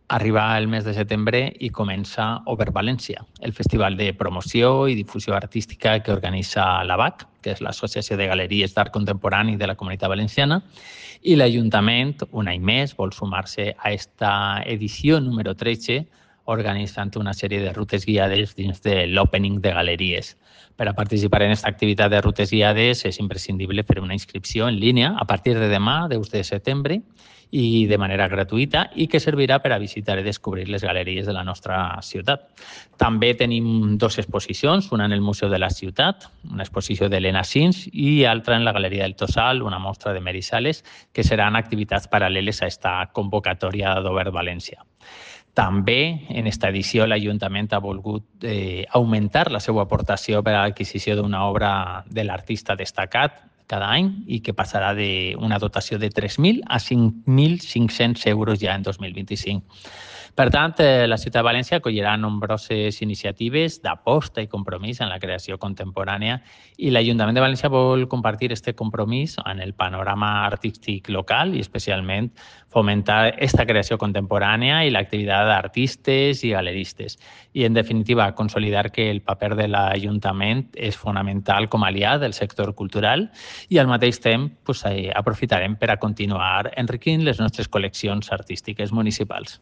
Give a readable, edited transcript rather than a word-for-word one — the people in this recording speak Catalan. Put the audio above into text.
Arriba el mes de setembre i comença Over València, el festival de promoció i difusió artística que organitza l'ABAC, que és l'Associació de Galeries d'Art Contemporani de la Comunitat Valenciana, i l'Ajuntament, un any més, vol sumar-se a esta edició número 13, organitzant una sèrie de rutes guiades dins de l'Opening de Galeries. Per a participar en aquesta activitat de rutes guiades és imprescindible fer una inscripció en línia a partir de demà, 10 de setembre, i de manera gratuïta i que servirà per a visitar i descobrir les galeries de la nostra ciutat. També tenim dues exposicions, una en el Museu de la Ciutat, una exposició d'Helena Sins, i altra en la Galeria del Tossal, una mostra de Mary Sales, que seran activitats paral·leles a esta convocatòria d'Obert València. També, en esta edició, l'Ajuntament ha volgut augmentar la seva aportació per a l'adquisició d'una obra de l'artista destacat cada any i que passarà d'una dotació de 3.000 a 5.500 euros ja en 2025. Per tant, la ciutat de València acollirà nombroses iniciatives d'aposta i compromís en la creació contemporània i l'Ajuntament de València vol compartir aquest compromís en el panorama artístic local i especialment fomentar aquesta creació contemporània i l'activitat d'artistes i galeristes. I, en definitiva, consolidar que el paper de l'Ajuntament és fonamental com a aliat del sector cultural i al mateix temps aprofitarem per a continuar enriquint les nostres col·leccions artístiques municipals.